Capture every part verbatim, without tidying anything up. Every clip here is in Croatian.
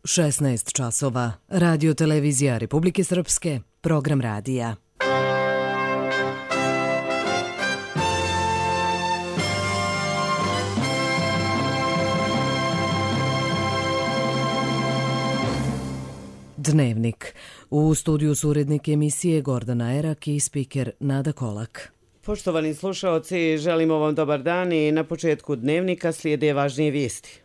šesnaest časova. Radio televizija Republike Srpske, program radija. Dnevnik. U studiju su urednik emisije Gordana Erak i spiker Nada Kolak. Poštovani slušaoci, želimo vam dobar dan i na početku dnevnika slijede važnije vijesti.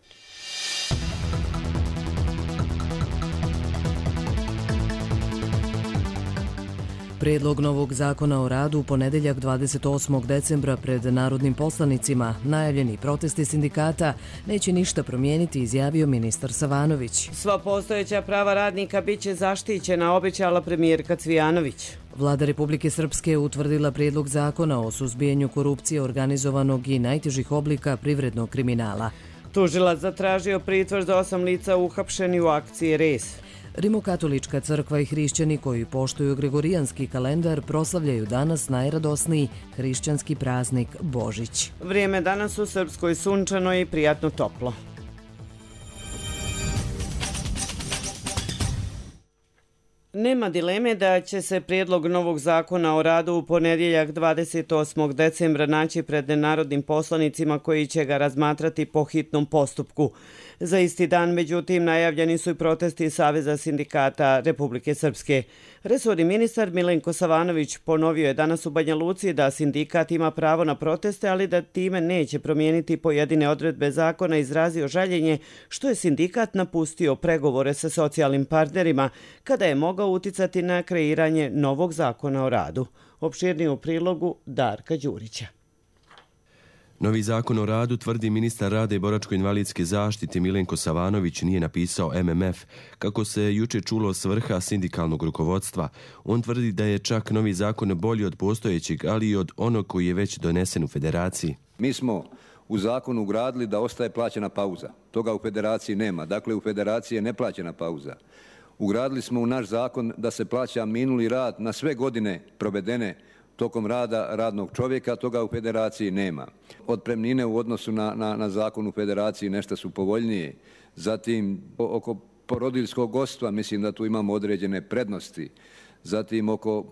Prijedlog novog zakona o radu u ponedjeljak dvadeset osmog decembra pred narodnim poslanicima. Najavljeni protesti sindikata neće ništa promijeniti, izjavio ministar Savanović. Sva postojeća prava radnika bit će zaštićena, obećala premijerka Cvijanović. Vlada Republike Srpske utvrdila prijedlog zakona o suzbijanju korupcije, organizovanog i najtežih oblika privrednog kriminala. Tužilac zatražio pritvor za osam lica uhapšeni u akciji Res. Rimokatolička crkva i hrišćani koji poštuju gregorijanski kalendar proslavljaju danas najradosniji hrišćanski praznik Božić. Vrijeme danas u Srpskoj sunčano i prijatno toplo. Nema dileme da će se prijedlog novog zakona o radu u ponedjeljak dvadeset osmog decembra naći pred narodnim poslanicima koji će ga razmatrati po hitnom postupku. Za isti dan, međutim, najavljeni su i protesti Saveza sindikata Republike Srpske. Resorni ministar Milenko Savanović ponovio je danas u Banja Luci da sindikat ima pravo na proteste, ali da time neće promijeniti pojedine odredbe zakona, izrazio žaljenje što je sindikat napustio pregovore sa socijalnim partnerima kada je mogao uticati na kreiranje novog zakona o radu. Opširnije u prilogu Darka Đurića. Novi zakon o radu, tvrdi ministar rada i boračko-invalidske zaštite Milenko Savanović, nije napisao M M F, kako se juče čulo s vrha sindikalnog rukovodstva. On tvrdi da je čak novi zakon bolji od postojećeg, ali i od onog koji je već donesen u federaciji. Mi smo u zakonu ugradili da ostaje plaćena pauza. Toga u federaciji nema. Dakle, u federaciji je neplaćena pauza. Ugradili smo u naš zakon da se plaća minuli rad na sve godine provedene tokom rada radnog čovjeka, toga u federaciji nema. Otpremnine u odnosu na, na, na zakon u federaciji nešto su povoljnije. Zatim oko porodiljskog godstva mislim da tu imamo određene prednosti. Zatim oko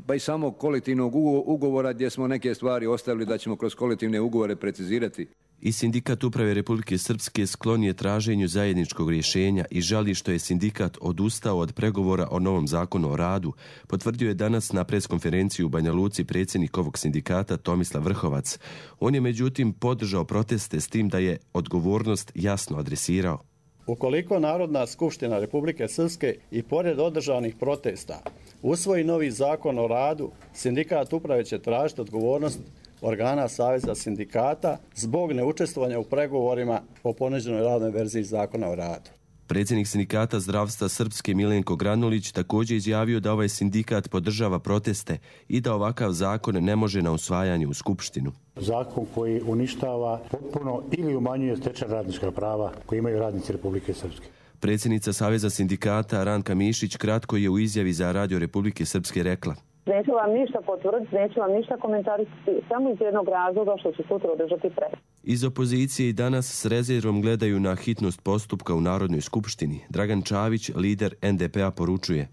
pa i samo kolektivnog ugovora gdje smo neke stvari ostavili da ćemo kroz kolektivne ugovore precizirati. I sindikat uprave Republike Srpske sklon je traženju zajedničkog rješenja i žali što je sindikat odustao od pregovora o novom zakonu o radu, potvrdio je danas na preskonferenciji u Banja Luci predsjednik ovog sindikata Tomislav Vrhovac. On je međutim podržao proteste s tim da je odgovornost jasno adresirao. Ukoliko Narodna skupština Republike Srpske i pored održanih protesta usvoji novi zakon o radu, sindikat uprave će tražiti odgovornost organa Saveza sindikata zbog neučestvovanja u pregovorima o ponuđenoj radnoj verziji zakona o radu. Predsjednik sindikata zdravstva Srpske Milenko Granulić također izjavio da ovaj sindikat podržava proteste i da ovakav zakon ne može na usvajanje u Skupštinu. Zakon koji uništava potpuno ili umanjuje stečena radnička prava koje imaju radnici Republike Srpske. Predsjednica Saveza sindikata Ranka Mišić kratko je u izjavi za Radio Republike Srpske rekla: Neću vam ništa potvrditi, neću vam ništa komentarisati, samo iz jednog razloga što će sutra održati pred. Iz opozicije i danas s rezervom gledaju na hitnost postupka u Narodnoj skupštini. Dragan Čavić, lider N D P-a, poručuje: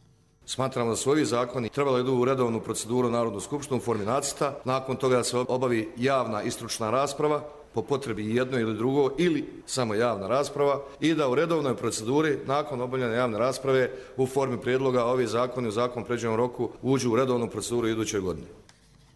Smatramo da su ovi zakoni trebali idu u redovnu proceduru Narodnu skupštinu u formi nacrta, nakon toga da se obavi javna i stručna rasprava, po potrebi jedno ili drugo ili samo javna rasprava i da u redovnoj proceduri nakon obavljene javne rasprave u formi prijedloga ovi zakoni u zakon pređenom roku uđu u redovnu proceduru iduće godine.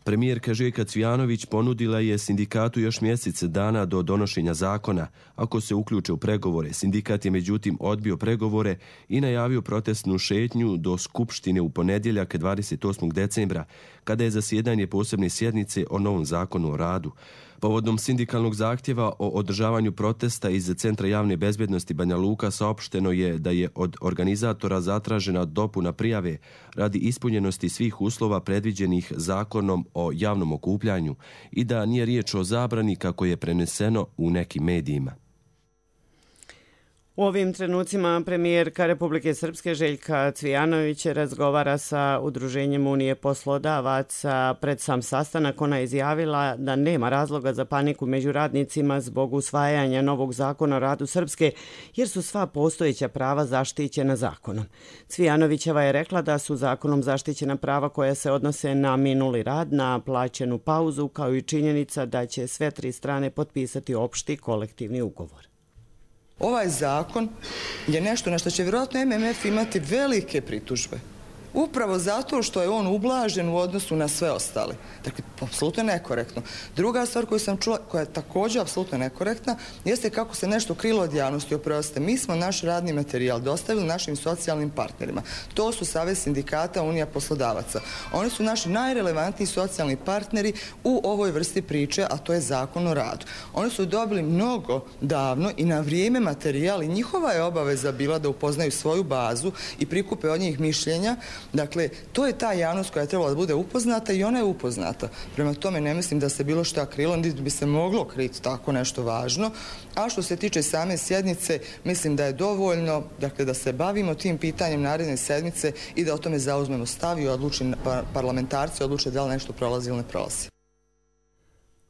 Premijerka Željka Cvijanović ponudila je sindikatu još mjesec dana do donošenja zakona ako se uključe u pregovore. Sindikat je međutim odbio pregovore i najavio protestnu šetnju do Skupštine u ponedjeljak dvadeset osmog decembra, kada je zasjedanje posebne sjednice o novom zakonu o radu. Povodom sindikalnog zahtjeva o održavanju protesta iz Centra javne bezbjednosti Banja Luka saopšteno je da je od organizatora zatražena dopuna prijave radi ispunjenosti svih uslova predviđenih zakonom o javnom okupljanju i da nije riječ o zabrani kako je preneseno u nekim medijima. U ovim trenucima premijerka Republike Srpske Željka Cvijanović razgovara sa Udruženjem Unije poslodavaca. Pred sam sastanak ona je izjavila da nema razloga za paniku među radnicima zbog usvajanja novog zakona o radu Srpske, jer su sva postojeća prava zaštićena zakonom. Cvijanovićeva je rekla da su zakonom zaštićena prava koja se odnose na minuli rad, na plaćenu pauzu, kao i činjenica da će sve tri strane potpisati opšti kolektivni ugovor. Ovaj zakon je nešto na što će vjerojatno M M F imati velike pritužbe. Upravo zato što je on ublažen u odnosu na sve ostale. Dakle, apsolutno nekorektno. Druga stvar koju sam čula, koja je također apsolutno nekorektna, jeste kako se nešto krilo od javnosti. Oprostite, mi smo naš radni materijal dostavili našim socijalnim partnerima. To su Savez sindikata, Unija poslodavaca. Oni su naši najrelevantniji socijalni partneri u ovoj vrsti priče, a to je zakon o radu. Oni su dobili mnogo davno i na vrijeme materijal i njihova je obaveza bila da upoznaju svoju bazu i prikupe od njih mišljenja. Dakle, to je ta javnost koja je trebala da bude upoznata i ona je upoznata. Prema tome ne mislim da se bilo šta krilo, niti bi se moglo kriti tako nešto važno. A što se tiče same sjednice, mislim da je dovoljno, dakle, da se bavimo tim pitanjem naredne sedmice i da o tome zauzmemo stav i odluči, parlamentarci odluče da li nešto prolazi ili ne prolazi.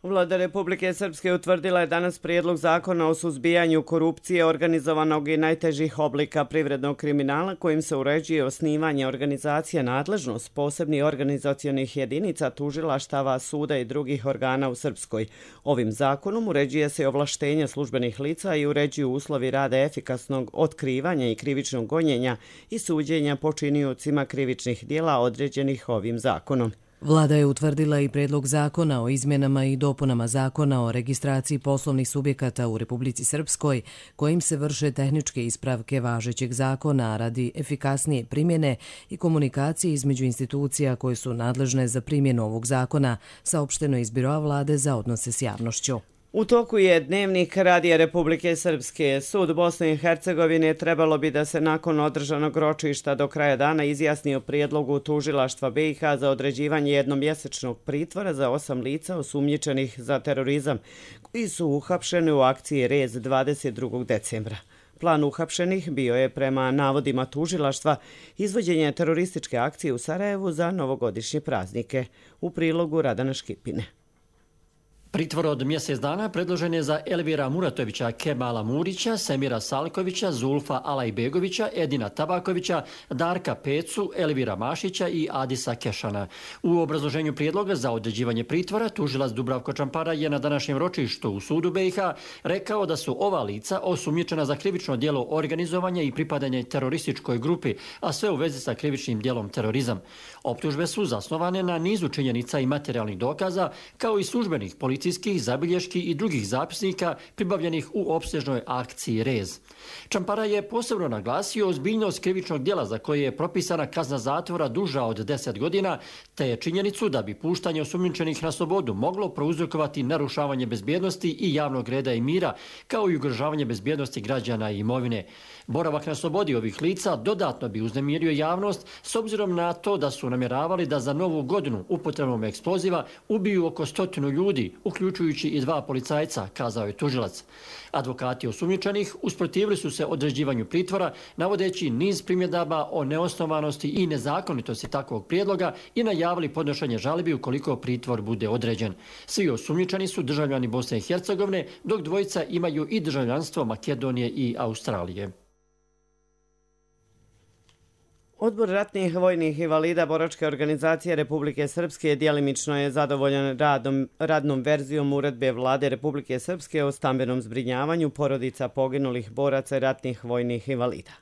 Vlada Republike Srpske utvrdila je danas prijedlog zakona o suzbijanju korupcije, organizovanog i najtežih oblika privrednog kriminala, kojim se uređuje osnivanje organizacija, nadležnost posebnih organizacionih jedinica, tužilaštava, suda i drugih organa u Srpskoj. Ovim zakonom uređuje se ovlaštenja službenih lica i uređuju uslovi rada efikasnog otkrivanja i krivičnog gonjenja i suđenja počiniocima krivičnih dijela određenih ovim zakonom. Vlada je utvrdila i predlog zakona o izmjenama i dopunama zakona o registraciji poslovnih subjekata u Republici Srpskoj, kojim se vrše tehničke ispravke važećeg zakona radi efikasnije primjene i komunikacije između institucija koje su nadležne za primjenu ovog zakona, saopšteno iz Biroa Vlade za odnose s javnošću. U toku je dnevnik Radija Republike Srpske. Sud Bosne i Hercegovine trebalo bi da se nakon održanog ročišta do kraja dana izjasni o prijedlogu tužilaštva B i H za određivanje jednomjesečnog pritvora za osam lica osumnjičenih za terorizam, koji su uhapšeni u akciji Rez dvadeset drugog decembra. Plan uhapšenih bio je, prema navodima tužilaštva, izvođenje terorističke akcije u Sarajevu za novogodišnje praznike. U prilogu Radana Škipine. Pritvor od mjesec dana predložen je za Elvira Muratovića, Kemala Murića, Semira Salkovića, Zulfa Alajbegovića, Edina Tabakovića, Darka Pecu, Elvira Mašića i Adisa Kešana. U obrazloženju prijedloga za određivanje pritvora tužilac Dubravko Čampara je na današnjem ročištu u sudu B i H rekao da su ova lica osumnjičena za krivično djelo organizovanja i pripadanje terorističkoj grupi, a sve u vezi sa krivičnim djelom terorizam. Optužbe su zasnovane na nizu činjenica i materijalnih dokaza, kao i službenih policijskih zabilješki i drugih zapisnika pribavljenih u opsežnoj akciji Rez. Čampara je posebno naglasio ozbiljnost krivičnog djela za koje je propisana kazna zatvora duža od deset godina, te činjenicu da bi puštanje osumnjičenih na slobodu moglo prouzrokovati narušavanje bezbjednosti i javnog reda i mira, kao i ugrožavanje bezbjednosti građana i imovine. Boravak na slobodi ovih lica dodatno bi uznemirio javnost s obzirom na to da su namjeravali da za novu godinu upotrebom eksploziva ubiju oko stotinu ljudi, uključujući i dva policajca, kazao je tužilac. Advokati osumnjičenih usprotivili su se određivanju pritvora, navodeći niz primjedaba o neosnovanosti i nezakonitosti takvog prijedloga i najavili podnošenje žalbi ukoliko pritvor bude određen. Svi osumnjičeni su državljani Bosne i Hercegovine, dok dvojica imaju i državljanstvo Makedonije i Australije. Odbor ratnih vojnih invalida Boračke organizacije Republike Srpske djelimično je zadovoljan radom, radnom verzijom uredbe Vlade Republike Srpske o stambenom zbrinjavanju porodica poginulih boraca i ratnih vojnih invalida.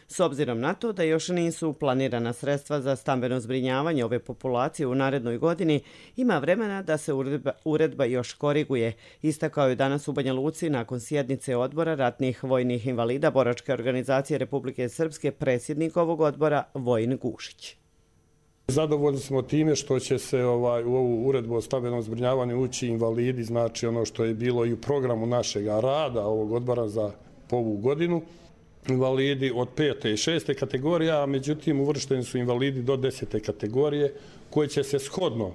S obzirom na to da još nisu planirana sredstva za stambeno zbrinjavanje ove populacije u narednoj godini, ima vremena da se uredba, uredba još koriguje, istakao je danas u Banja Luci nakon sjednice odbora ratnih vojnih invalida Boračke organizacije Republike Srpske predsjednik ovog odbora Vojin Gušić. Zadovoljni smo time što će se ovaj, u ovu uredbu o stambenom zbrinjavanju ući invalidi, znači ono što je bilo i u programu našeg rada ovog odbora za ovu godinu. Invalidi od pete i šeste kategorije, a međutim uvršteni su invalidi do desete kategorije koji će se shodno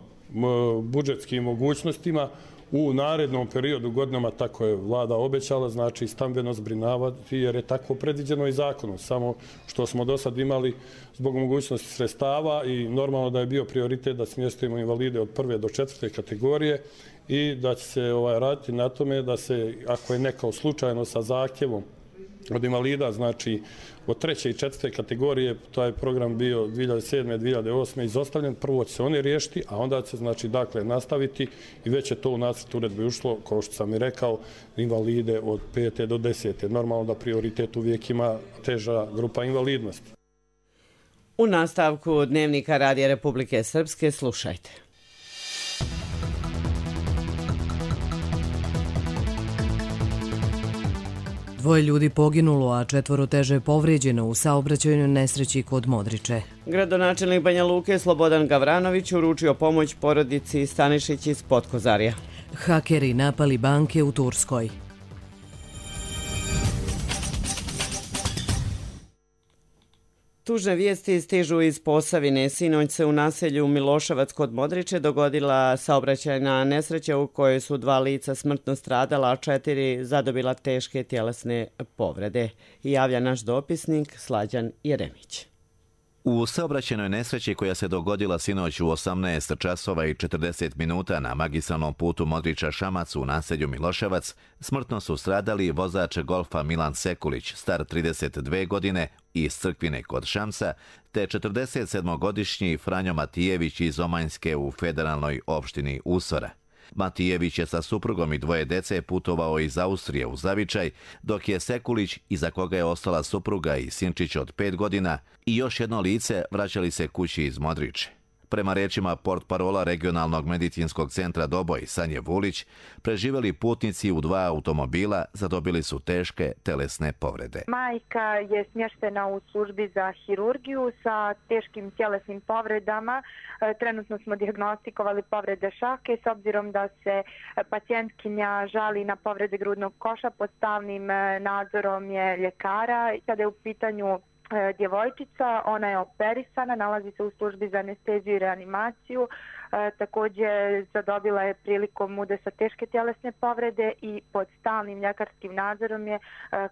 budžetskim mogućnostima u narednom periodu godinama, tako je vlada obećala, znači stambeno zbrinavati jer je tako predviđeno i zakonom. Samo što smo do sad imali zbog mogućnosti sredstava i normalno da je bio prioritet da smjestimo invalide od prve do četvrte kategorije i da će se ovaj, raditi na tome da se, ako je neko slučajno sa zahtjevom od invalida, znači od treće i četvrte kategorije, taj program bio dvije hiljade sedme. dvije hiljade osme. izostavljen, prvo će se oni riješiti, a onda će znači dakle nastaviti i već je to u nacrt uredbe ušlo, kao što sam i rekao, invalide od pete do desete. Normalno da prioritet uvijek ima teža grupa invalidnosti. U nastavku Dnevnika Radija Republike Srpske slušajte. Dvoje ljudi poginulo, a četvoro teže povrijeđeno u saobraćajnoj nesreći kod Modriče. Gradonačelnik Banja Luke Slobodan Gavranović uručio pomoć porodici Stanišić iz Potkozarja. Hakeri napali banke u Turskoj. Tužne vijesti stižu iz Posavine. Sinoć se u naselju Miloševac kod Modriče dogodila saobraćajna nesreća u kojoj su dva lica smrtno stradala, a četiri zadobila teške tjelesne povrede. Javlja naš dopisnik Slađan Jeremić. U saobraćajnoj nesreći koja se dogodila sinoć u osamnaest časova i četrdeset minuta na magistralnom putu Modriča-Šamac u naselju Miloševac smrtno su stradali vozač golfa Milan Sekulić, star trideset dve godine, iz Crkvine kod Šamsa, te četrdesetsedmogodišnji Franjo Matijević iz Omanjske u federalnoj opštini Usora. Matijević je sa suprugom i dvoje dece putovao iz Austrije u Zavičaj, dok je Sekulić, iza koga je ostala supruga i sinčić od pet godina, i još jedno lice vraćali se kući iz Modriče. Prema rečima portparola regionalnog medicinskog centra Doboj, Sanje Vulić, preživjeli putnici u dva automobila zadobili su teške telesne povrede. Majka je smještena u službi za hirurgiju sa teškim tjelesnim povredama. Trenutno smo dijagnostikovali povrede šake s obzirom da se pacijentkinja žali na povrede grudnog koša pod stalnim nadzorom je ljekara. Kada je u pitanju djevojčica, ona je operisana, nalazi se u službi za anesteziju i reanimaciju. E, također zadobila je prilikom udesa teške tjelesne povrede i pod stalnim ljekarskim nadzorom je, e,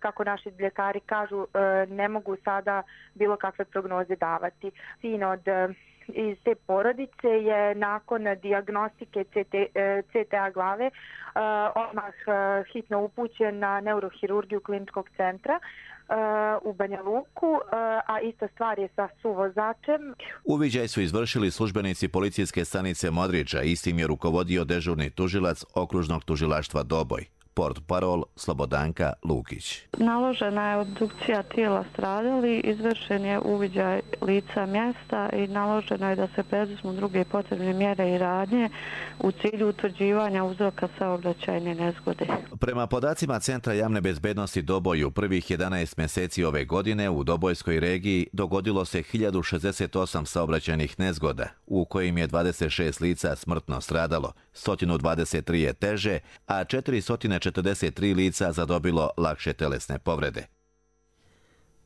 kako naši ljekari kažu, e, ne mogu sada bilo kakve prognoze davati. Sin od iz te porodice je nakon dijagnostike C T A glave odmah hitno upućen na neurohirurgiju kliničkog centra u Banja Luku, a ista stvar je sa suvozačem. Uviđaj su izvršili službenici policijske stanice Modriča, istim je rukovodio dežurni tužilac okružnog tužilaštva Doboj. Portparol Slobodanka Lukić. Naložena je obdukcija tijela stradali, izvršen je uviđaj lica mjesta i naloženo je da se preduzmu druge potrebne mjere i radnje u cilju utvrđivanja uzroka saobraćajne nezgode. Prema podacima Centra javne bezbednosti Doboj, u prvih jedanaest mjeseci ove godine u Dobojskoj regiji dogodilo se hiljadu šezdeset osam saobraćajnih nezgoda, u kojim je dvadeset šest lica smrtno stradalo, sto dvadeset tri je teže, a četiristo četrdeset tri lica zadobilo lakše telesne povrede.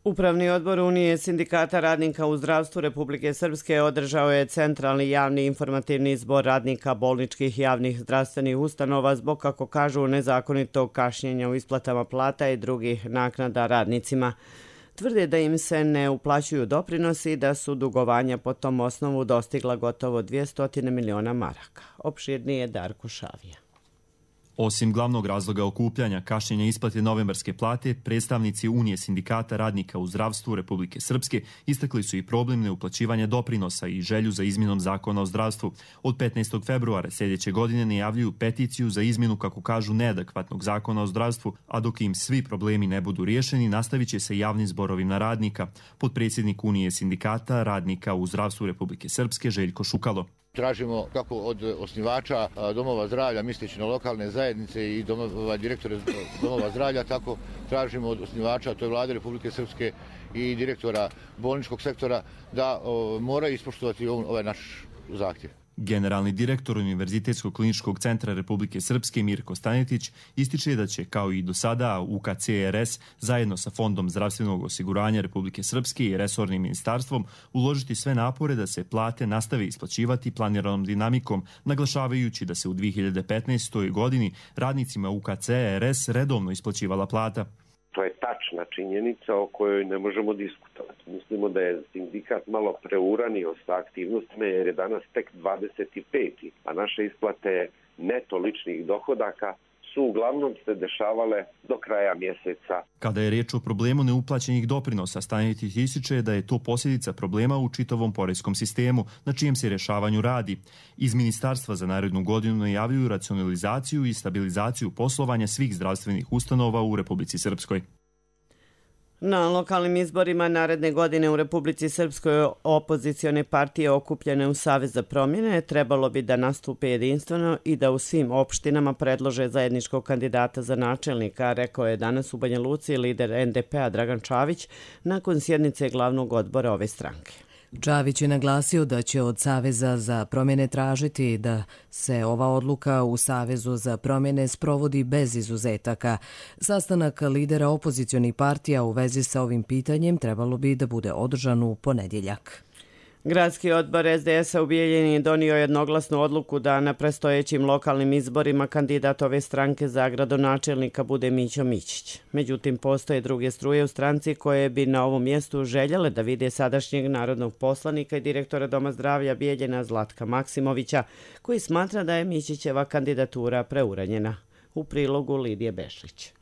Upravni odbor Unije sindikata radnika u zdravstvu Republike Srpske održao je centralni javni informativni zbor radnika bolničkih javnih zdravstvenih ustanova zbog, kako kažu, nezakonitog kašnjenja u isplatama plata i drugih naknada radnicima. Tvrde da im se ne uplaćuju doprinosi i da su dugovanja po tom osnovu dostigla gotovo dvjesto miliona maraka. Opširnije Darko Šavija. Osim glavnog razloga okupljanja kašnjenja isplate novembarske plate, predstavnici Unije sindikata radnika u zdravstvu Republike Srpske istakli su i problem neuplaćivanja doprinosa i želju za izmjenom zakona o zdravstvu. Od petnaestog februara sljedeće godine najavljuju peticiju za izmjenu, kako kažu, neadekvatnog zakona o zdravstvu, a dok im svi problemi ne budu riješeni, nastavit će se javnim zborovima radnika. Potpredsjednik Unije sindikata radnika u zdravstvu Republike Srpske Željko Šukalo. Tražimo kako od osnivača domova zdravlja, misleći na lokalne zajednice i domova, direktore domova zdravlja, tako tražimo od osnivača, to je Vlade Republike Srpske i direktora bolničkog sektora, da o, moraju ispoštovati ovaj naš zahtjev. Generalni direktor Univerzitetskog kliničkog centra Republike Srpske Mirko Stanjetić ističe da će, kao i do sada, U K C R S zajedno sa Fondom zdravstvenog osiguranja Republike Srpske i resornim ministarstvom uložiti sve napore da se plate nastave isplaćivati planiranom dinamikom, naglašavajući da se u dvije hiljade petnaestoj. godini radnicima U K C R S redovno isplaćivala plata. To je tačna činjenica o kojoj ne možemo diskutovati. Mislimo da je sindikat malo preuranio sa aktivnostima jer je danas tek dvadeset peti a naše isplate neto ličnih dohodaka su uglavnom se dešavale do kraja mjeseca. Kada je riječ o problemu neuplaćenih doprinosa, Stanjetić ističe da je to posljedica problema u čitavom poreskom sistemu, na čijem se rješavanju radi. Iz Ministarstva za narednu godinu najavljuju racionalizaciju i stabilizaciju poslovanja svih zdravstvenih ustanova u Republici Srpskoj. Na lokalnim izborima naredne godine u Republici Srpskoj opozicione partije okupljene u Savez za promjene trebalo bi da nastupe jedinstveno i da u svim opštinama predlože zajedničkog kandidata za načelnika, rekao je danas u Banja Luci lider N D P-a Dragan Čavić nakon sjednice glavnog odbora ove stranke. Čavić je naglasio da će od Saveza za promjene tražiti da se ova odluka u Savezu za promjene sprovodi bez izuzetaka. Sastanak lidera opozicionih partija u vezi sa ovim pitanjem trebalo bi da bude održan u ponedjeljak. Gradski odbor S D S-a u Bijeljini donio jednoglasnu odluku da na predstojećim lokalnim izborima kandidat ove stranke za gradonačelnika bude Mićo Mićić. Međutim, postoje druge struje u stranci koje bi na ovom mjestu željele da vide sadašnjeg narodnog poslanika i direktora Doma zdravlja Bijeljina Zlatka Maksimovića, koji smatra da je Mićićeva kandidatura preuranjena. U prilogu Lidije Bešlić.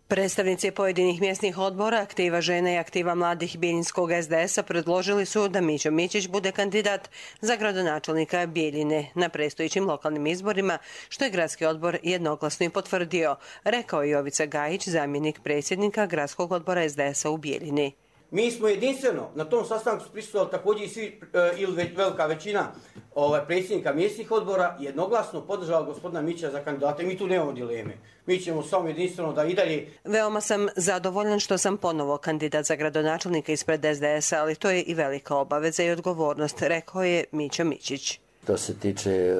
Predstavnici pojedinih mjesnih odbora, Aktiva žena i Aktiva mladih Bijeljinskog S D S-a predložili su da Mićo Mićić bude kandidat za gradonačelnika Bijeljine na predstojećim lokalnim izborima, što je gradski odbor jednoglasno i potvrdio, rekao je Jovica Gajić, zamjenik predsjednika gradskog odbora S D S-a u Bijeljini. Mi smo jedinstveno, na tom sastanku su prisustvovali također i svi, ili velika većina ovaj, predsjednika mjesnih odbora, jednoglasno podržala gospodina Mića za kandidata i mi tu nemamo dileme. Mi ćemo samo jedinstveno da i dalje. Veoma sam zadovoljan što sam ponovo kandidat za gradonačelnika ispred S D S-a, ali to je i velika obaveza i odgovornost, rekao je Mićo Mićić. Što se tiče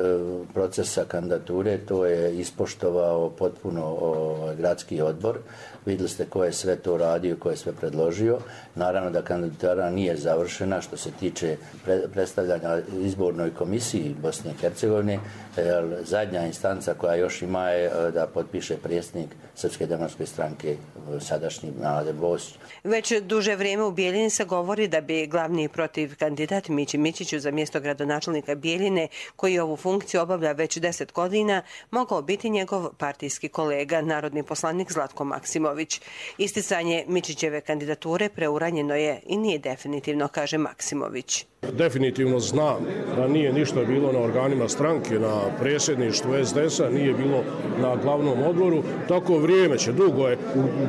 procesa kandidature, to je ispoštovao potpuno gradski odbor. Vidjeli ste ko je sve to radio, ko je sve predložio. Naravno da kandidatura nije završena što se tiče predstavljanja izbornoj komisiji Bosne i Hercegovine. Zadnja instanca koja još ima je da potpiše predsjednik Srpske demokratske stranke, sadašnji Mladen Bosić. Već duže vrijeme u Bijeljini se govori da bi glavni protiv kandidat Mići Mićiću za mjesto gradonačelnika Bijeljine, koji ovu funkciju obavlja već deset godina, mogao biti njegov partijski kolega, narodni poslanik Zlatko Maksimović. Isticanje Mićićeve kandidature preuranjeno je i nije definitivno, kaže Maksimović. Definitivno znam da nije ništa bilo na organima stranke, na predsjedništvu S D S-a, nije bilo na glavnom odboru. Tako vrijeme će, dugo je,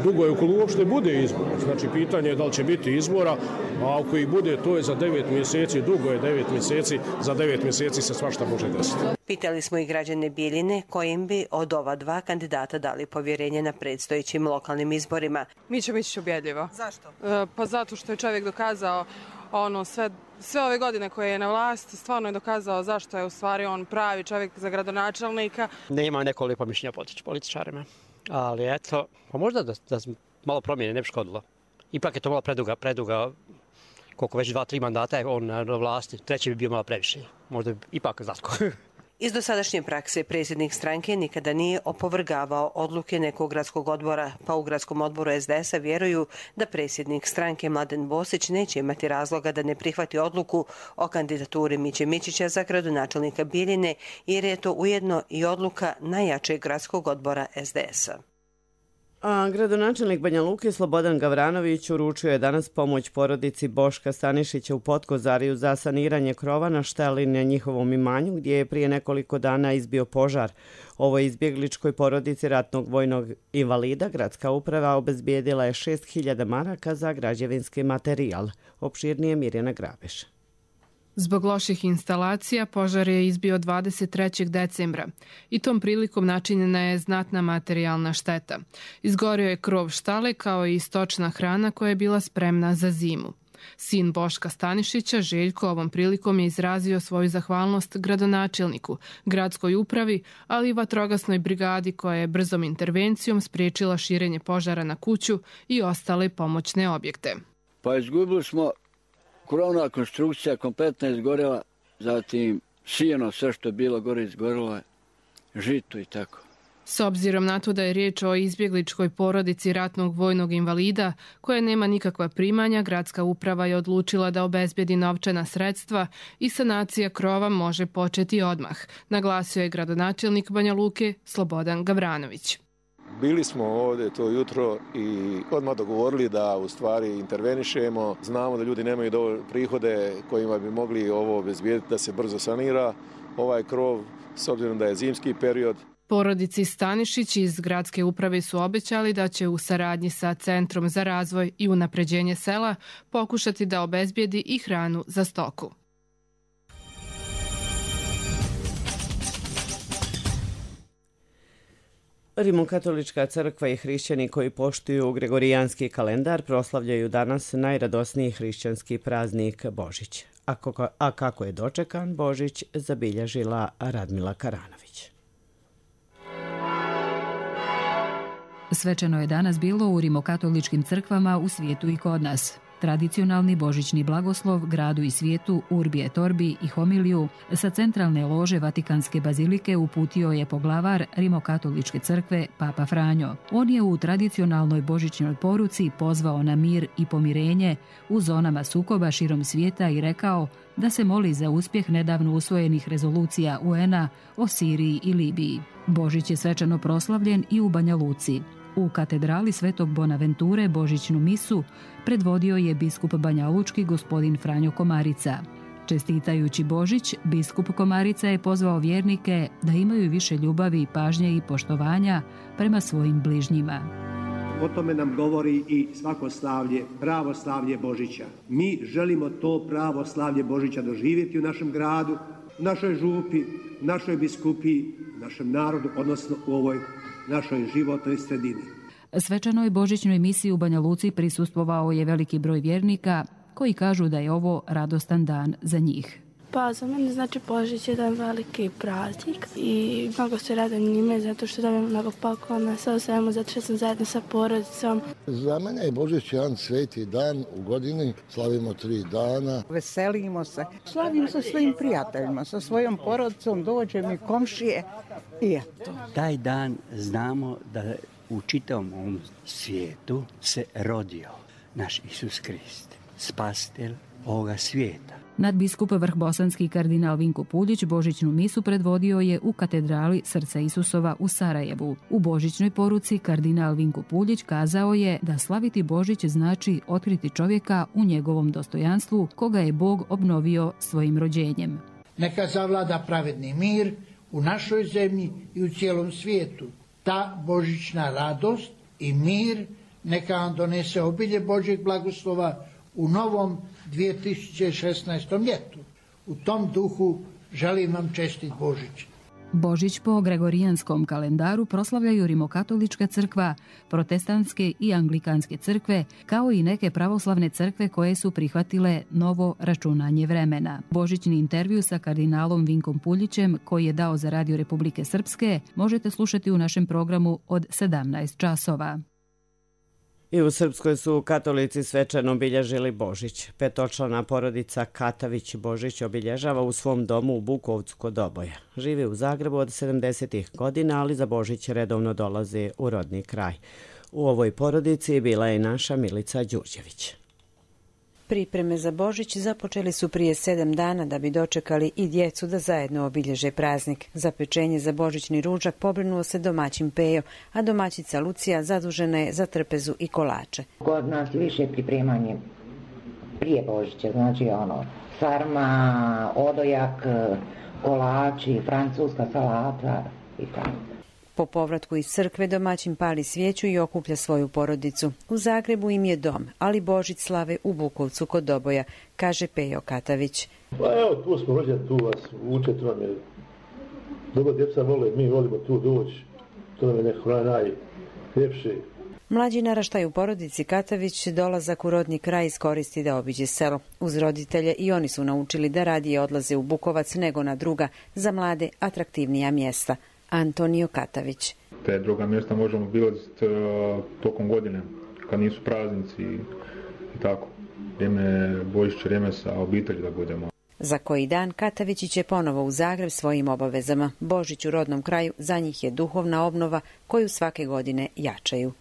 dugo je ukoliko uopšte bude izbor. Znači, pitanje je da li će biti izbora, a ako i bude, to je za devet mjeseci, dugo je devet mjeseci, za devet mjeseci se svašta može desiti. Pitali smo i građane Bijeljine kojim bi od ova dva kandidata dali povjerenje na predstojećim lokalnim izborima. Mićo Mićić ubjedljivo. Zašto? E, pa zato što je čovjek dokazao ono sve, sve ove godine koje je na vlasti, stvarno je dokazao zašto je u stvari on pravi čovjek za gradonačelnika. Ne imam neko lijepo mišljenje o političarima, ali eto, pa možda da, da malo promijene ne bi škodilo. Ipak je to malo preduga, preduga, koliko već dva, tri mandata je on na vlasti, treći bi bio malo previše, možda bi ipak Zlatko. Iz dosadašnje prakse predsjednik stranke nikada nije opovrgavao odluke nekog gradskog odbora, pa u gradskom odboru S D S-a vjeruju da predsjednik stranke Mladen Bosić neće imati razloga da ne prihvati odluku o kandidaturi Miće Mićića za gradonačelnika Bijeljine, jer je to ujedno i odluka najjačeg gradskog odbora S D S-a. A gradonačelnik Banja Luke Slobodan Gavranović uručio je danas pomoć porodici Boška Stanišića u Potkozariju za saniranje krova na šteli na njihovom imanju gdje je prije nekoliko dana izbio požar. Ovoj izbjegličkoj porodici ratnog vojnog invalida gradska uprava obezbijedila je šest hiljada maraka za građevinski materijal. Opširnije Mirjana Grabeš. Zbog loših instalacija požar je izbio dvadeset trećeg decembra i tom prilikom načinjena je znatna materijalna šteta. Izgorio je krov štale kao i stočna hrana koja je bila spremna za zimu. Sin Boška Stanišića, Željko, ovom prilikom je izrazio svoju zahvalnost gradonačelniku, gradskoj upravi, ali i vatrogasnoj brigadi koja je brzom intervencijom spriječila širenje požara na kuću i ostale pomoćne objekte. Pa izgubili smo, krovna konstrukcija kompletna izgorela, zatim sijeno, sve što je bilo gore izgorelo, žito i tako. S obzirom na to da je riječ o izbjegličkoj porodici ratnog vojnog invalida koja nema nikakva primanja, gradska uprava je odlučila da obezbedi novčana sredstva i sanacija krova može početi odmah, naglasio je gradonačelnik Banja Luke Slobodan Gavranović. Bili smo ovdje to jutro i odmah dogovorili da u stvari intervenišemo. Znamo da ljudi nemaju dovoljne prihode kojima bi mogli ovo obezbijediti da se brzo sanira ovaj krov, s obzirom da je zimski period. Porodici Stanišić iz gradske uprave su obećali da će u saradnji sa Centrom za razvoj i unapređenje sela pokušati da obezbijedi i hranu za stoku. Rimokatolička crkva i hrišćani koji poštuju gregorijanski kalendar proslavljaju danas najradosniji hrišćanski praznik Božić. A kako je dočekan Božić, zabilježila Radmila Karanović. Svečano je danas bilo u rimokatoličkim crkvama u svijetu i kod nas. Tradicionalni božićni blagoslov gradu i svijetu Urbi et Orbi i homiliju sa centralne lože Vatikanske bazilike uputio je poglavar Rimokatoličke crkve Papa Franjo. On je u tradicionalnoj božićnoj poruci pozvao na mir i pomirenje u zonama sukoba širom svijeta i rekao da se moli za uspjeh nedavno usvojenih rezolucija U N A o Siriji i Libiji. Božić je svečano proslavljen i u Banja Luci. U katedrali Svetog Bonaventure božićnu misu predvodio je biskup banjalučki gospodin Franjo Komarica. Čestitajući Božić, biskup Komarica je pozvao vjernike da imaju više ljubavi, pažnje i poštovanja prema svojim bližnjima. O tome nam govori i svako slavlje, pravo slavlje Božića. Mi želimo to pravo slavlje Božića doživjeti u našem gradu, u našoj župi, u našoj biskupiji, u našem narodu, odnosno u ovoj našoj životnoj sredini. Svečanoj božićnoj misiji u Banja Luci prisustvovao je veliki broj vjernika koji kažu da je ovo radostan dan za njih. Pa za mene znači Božić je jedan veliki praznik i mnogo se radim njime zato što dobijem mnogo poklona, sve u svemu zato što sam zajedno sa porodicom. Za mene je Božić jedan sveti dan u godini, slavimo tri dana. Veselimo se, slavim sa svojim prijateljima, sa svojom porodicom, dođe mi komšije i eto. Taj dan znamo da u čitavom ovom svijetu se rodio naš Isus Krist, spasitelj ovoga svijeta. Nadbiskup vrhbosanski kardinal Vinko Puljić božićnu misu predvodio je u katedrali Srca Isusova u Sarajevu. U božićnoj poruci kardinal Vinko Puljić kazao je da slaviti Božić znači otkriti čovjeka u njegovom dostojanstvu koga je Bog obnovio svojim rođenjem. Neka zavlada pravedni mir u našoj zemlji i u cijelom svijetu. Ta božićna radost i mir neka vam donese obilje Božjeg blagoslova u novom dvije tisuće šesnaestom ljetu. U tom duhu želim vam čestit Božić. Božić po gregorijanskom kalendaru proslavljaju Rimokatolička crkva, protestantske i anglikanske crkve, kao i neke pravoslavne crkve koje su prihvatile novo računanje vremena. Božićni intervju sa kardinalom Vinkom Puljićem, koji je dao za Radio Republike Srpske, možete slušati u našem programu od sedamnaest časova. I u Srpskoj su katolici svečano obilježili Božić. Petočlana porodica Katavić Božić obilježava u svom domu u Bukovcu kod Doboja. Živi u Zagrebu od sedamdesetih godina, ali za Božić redovno dolaze u rodni kraj. U ovoj porodici bila je i naša Milica Đurđević. Pripreme za Božić započeli su prije sedam dana da bi dočekali i djecu da zajedno obilježe praznik. Za pečenje za božićni ručak pobrinuo se domaćin Pejo, a domaćica Lucija zadužena je za trpezu i kolače. Kod nas više pripremanje prije Božića, znači ono, sarma, odojak, kolači, francuska salata i tako. Po povratku iz crkve domaćin pali svijeću i okuplja svoju porodicu. U Zagrebu im je dom, ali Božić slave u Bukovcu kod Doboja, kaže Pejo Katavić. Pa evo, tu smo rođeni, tu vas uče, to nam je dobro, djeca vole, mi volimo tu doći, to nam je neko najljepše. Mlađi naraštaj u porodici Katavić dolazak u rodni kraj iskoristi da obiđe selo. Uz roditelje i oni su naučili da radije odlaze u Bukovac nego na druga, za mlade atraktivnija mjesta. Antonio Katavić. Te druga mjesta možemo bilaziti tokom godine, kad nisu praznici i tako. Vrijeme Božića, vrijeme sa obitelji da budemo. Za koji dan Katavići će ponovo u Zagreb svojim obavezama. Božić u rodnom kraju za njih je duhovna obnova koju svake godine jačaju.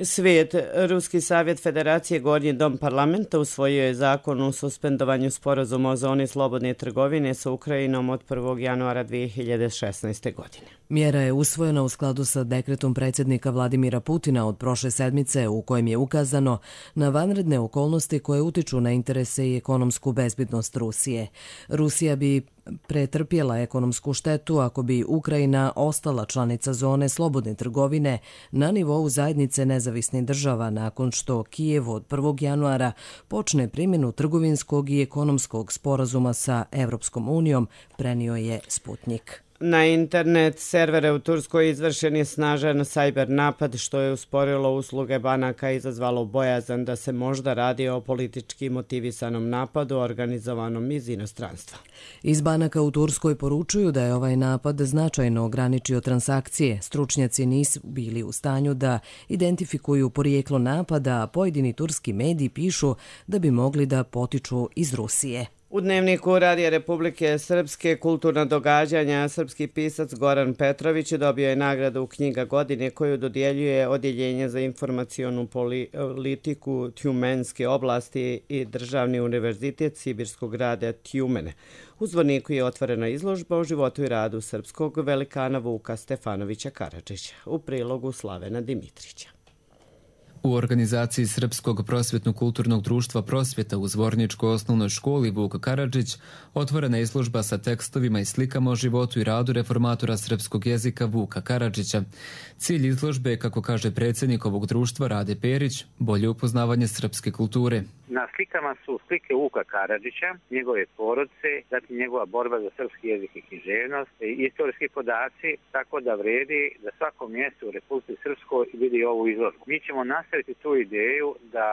Svijet. Ruski savjet Federacije Gornji dom parlamenta usvojio je zakon o suspendovanju sporazuma o zoni slobodne trgovine sa Ukrajinom od prvog januara dvije hiljade šesnaeste. godine. Mjera je usvojena u skladu sa dekretom predsjednika Vladimira Putina od prošle sedmice u kojem je ukazano na vanredne okolnosti koje utiču na interese i ekonomsku bezbednost Rusije. Rusija bi pretrpjela ekonomsku štetu ako bi Ukrajina ostala članica zone slobodne trgovine na nivou zajednice nezavisnih država nakon što Kijev od prvog januara počne primjenu trgovinskog i ekonomskog sporazuma sa Evropskom unijom, prenio je Sputnik. Na internet servere u Turskoj izvršen je snažan cyber napad što je usporilo usluge banaka i izazvalo bojazan da se možda radi o politički motivisanom napadu organizovanom iz inostranstva. Iz banaka u Turskoj poručuju da je ovaj napad značajno ograničio transakcije. Stručnjaci nisu bili u stanju da identifikuju porijeklo napada, a pojedini turski mediji pišu da bi mogli da potiču iz Rusije. U Dnevniku Radija Republike Srpske kulturna događanja srpski pisac Goran Petrović dobio je nagradu Knjiga godine koju dodjeljuje Odjeljenje za informacionu politiku Tjumenske oblasti i Državni univerzitet Sibirskog grada Tjumene. U Zvorniku je otvorena izložba o životu i radu srpskog velikana Vuka Stefanovića Karadžića u prilogu Slavena Dimitrića. U organizaciji Srpskog prosvjetno-kulturnog društva Prosvjeta u Zvorničkoj osnovnoj školi Vuk Karadžić otvorena je izložba sa tekstovima i slikama o životu i radu reformatora srpskog jezika Vuka Karadžića. Cilj izložbe je, kako kaže predsjednik ovog društva Rade Perić, bolje upoznavanje srpske kulture. Na slikama su slike Vuka Karadžića, njegove porodice, zatim njegova borba za srpski jezik i književnost, istorijski podaci, tako da vredi da svako mjesto u Republici Srpskoj vidi ovu izložbu. Mi ćemo nastaviti tu ideju da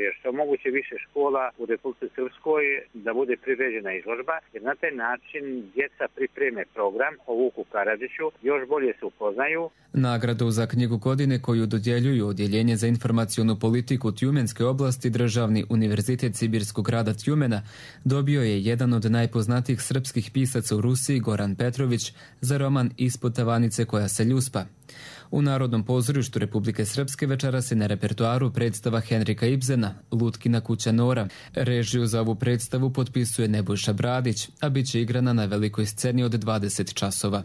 je što moguće više škola u Republici Srpskoj da bude priređena izložba, jer na taj način djeca pripreme program o Vuku Karadžiću, još bolje se upoznaju. Nagradu za knjigu godine koju dodjeljuju Odjeljenje za informacionu politiku Tjumenske oblasti Državni univerzitet Sibirskog grada Tjumena dobio je jedan od najpoznatijih srpskih pisaca u Rusiji Goran Petrović za roman Ispod tavanice koja se ljuspa. U Narodnom pozorištu Republike Srpske večera se na repertoaru predstava Henrika Ibsena Lutkina kuća Nora. Režiju za ovu predstavu potpisuje Nebojša Bradić, a bit će igrana na velikoj sceni od dvadeset časova.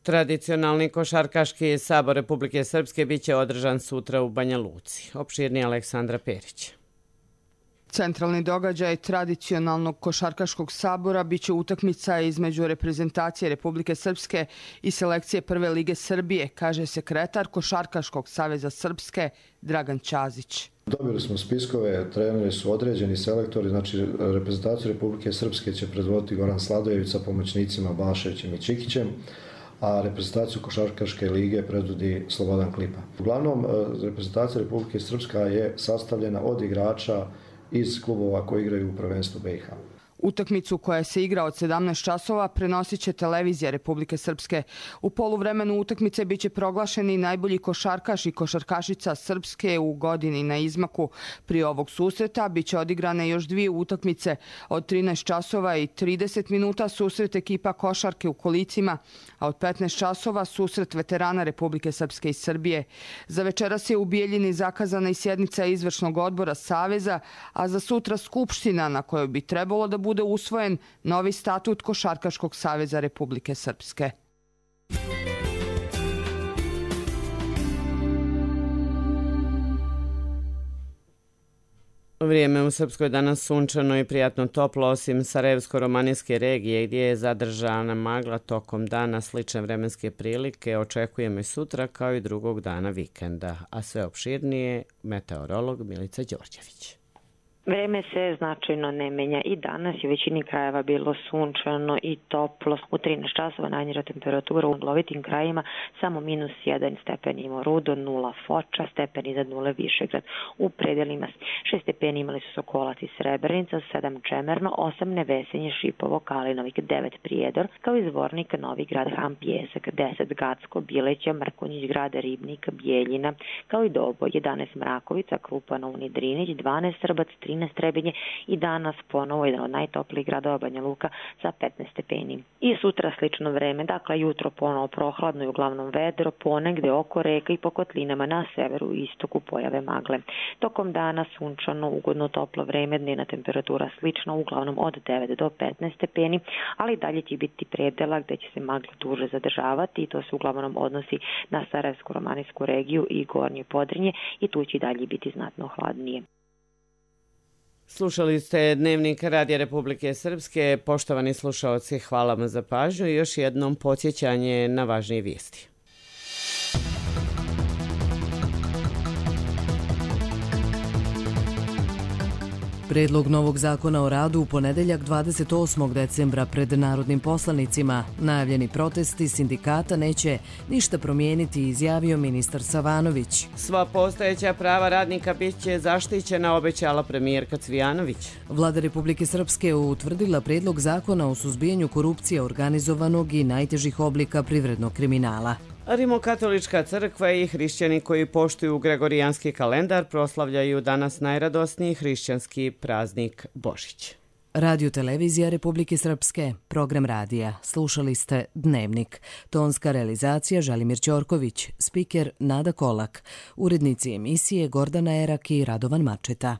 Tradicionalni košarkaški sabor Republike Srpske biće održan sutra u Banja Luci. Opširnije Aleksandra Perić. Centralni događaj tradicionalnog košarkaškog sabora biće utakmica između reprezentacije Republike Srpske i selekcije Prve lige Srbije, kaže sekretar Košarkaškog saveza Srpske Dragan Ćazić. Dobili smo spiskove, treneri su određeni, selektori, znači reprezentaciju Republike Srpske će predvoditi Goran Sladojević sa pomoćnicima Balševićem i Čikićem, a reprezentaciju Košarkaške lige predvodi Slobodan Klipa. Uglavnom, reprezentacija Republike Srpska je sastavljena od igrača iz klubova koji igraju u prvenstvu B i H. Utakmicu koja se igra od sedamnaest časova prenosit će televizija Republike Srpske. U poluvremenu utakmice biće proglašeni najbolji košarkaš i košarkašica Srpske u godini na izmaku. Prije ovog susreta biće odigrane još dvije utakmice od trinaest časova i trideset minuta susret ekipa košarke u kolicima, a od petnaest časova susret veterana Republike Srpske i Srbije. Za večeras je u Bijeljini zakazana i sjednica izvršnog odbora Saveza, a za sutra skupština na kojoj bi trebalo da bude bude usvojen novi statut Košarkaškog saveza Republike Srpske. Vrijeme u Srpskoj danas sunčano i prijatno toplo, osim Sarajevsko-romanijske regije gdje je zadržana magla tokom dana. Slične vremenske prilike očekujemo i sutra kao i drugog dana vikenda, a sve opširnije meteorolog Milica Đorđević. Vreme se značajno ne menja i danas je u većini krajeva bilo sunčano i toplo. U trinaest časova najniža temperatura u lovitim krajima samo minus jedan stepen imao Rudo, nula Foča, stepen iznad nule Višegrad. U predelima šest stepeni imali su Sokolac i Srebrenica, sedam Čemerno, osam Nevesenje, Šipovo, Kalinovik, devet Prijedor, kao i Zvornik, Novi Grad, Ham, Pjesak, deset Gacko, Bileća, Mrkonjić Grad, Ribnik, Bijeljina, kao i Dobo, jedanaest Mrakovica, Krupa, Novni Drinić, dvanaest Srbac, trinaest Trebinje i danas ponovo jedan od najtoplijih gradova Banja Luka sa petnaest stepeni. I sutra slično vreme, dakle jutro ponovo prohladno i uglavnom vedro, ponegde oko reka i po kotlinama na severu i istoku pojave magle. Tokom dana sunčano, ugodno toplo vreme, dnevna temperatura slično, uglavnom od devet do petnaest stepeni, ali dalje će biti predela gde će se magle duže zadržavati i to se uglavnom odnosi na Sarajevsko-romanijsku regiju i Gornje Podrinje i tu će dalje biti znatno hladnije. Slušali ste Dnevnik Radija Republike Srpske. Poštovani slušaoci, hvala vam za pažnju i još jednom podsjećanje na važnije vijesti. Predlog novog zakona o radu u ponedeljak dvadeset osmog decembra pred narodnim poslanicima. Najavljeni protesti sindikata neće ništa promijeniti, izjavio ministar Savanović. Sva postojeća prava radnika bit će zaštićena, obećala premijerka Cvijanović. Vlada Republike Srpske utvrdila predlog zakona o suzbijanju korupcije, organizovanog i najtežih oblika privrednog kriminala. Rimokatolička crkva i hrišćani koji poštuju gregorijanski kalendar proslavljaju danas najradosniji hrišćanski praznik Božić. Radio Televizija Republike Srpske, program radija. Slušali ste Dnevnik. Tonska realizacija Želimir Ćorković, spiker Nada Kolak, urednici emisije Gordana Erak i Radovan Mačeta.